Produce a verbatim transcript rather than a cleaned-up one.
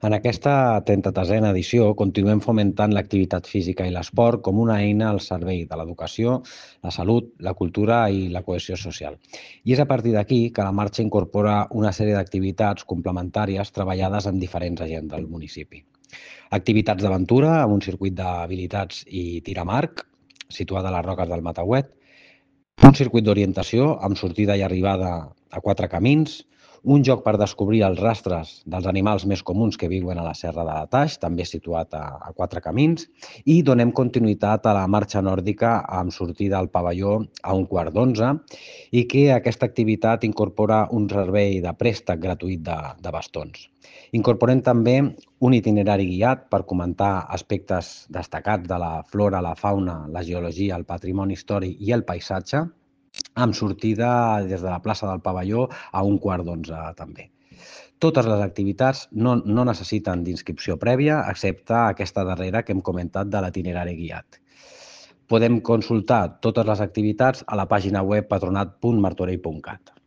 En aquesta trenta-tercera edició continuem fomentant l'activitat física i l'esport com una eina al servei de l'educació, la salut, la cultura i la cohesió social. I és a partir d'aquí que la marxa incorpora una sèrie d'activitats complementàries treballades en diferents agents del municipi. Activitats d'aventura amb un circuit d'habilitats i tiramarc, situada a les Roques del Matauet, un circuit d'orientació amb sortida i arribada a quatre camins, un joc per descobrir els rastres dels animals més comuns que viuen a la Serra de la Taix, també situat a, a quatre camins, i donem continuïtat a la marxa nòrdica amb sortida al pavelló a un quart d'onze i que aquesta activitat incorpora un servei de préstec gratuït de, de bastons. Incorporem també un itinerari guiat per comentar aspectes destacats de la flora, la fauna, la geologia, el patrimoni històric i el paisatge, amb sortida des de la plaça del Pavelló a un quart d'onze també. Totes les activitats no, no necessiten d'inscripció prèvia, excepte aquesta darrera que hem comentat de l'itinerari guiat. Podem consultar totes les activitats a la pàgina web patronat punt martorell punt cat.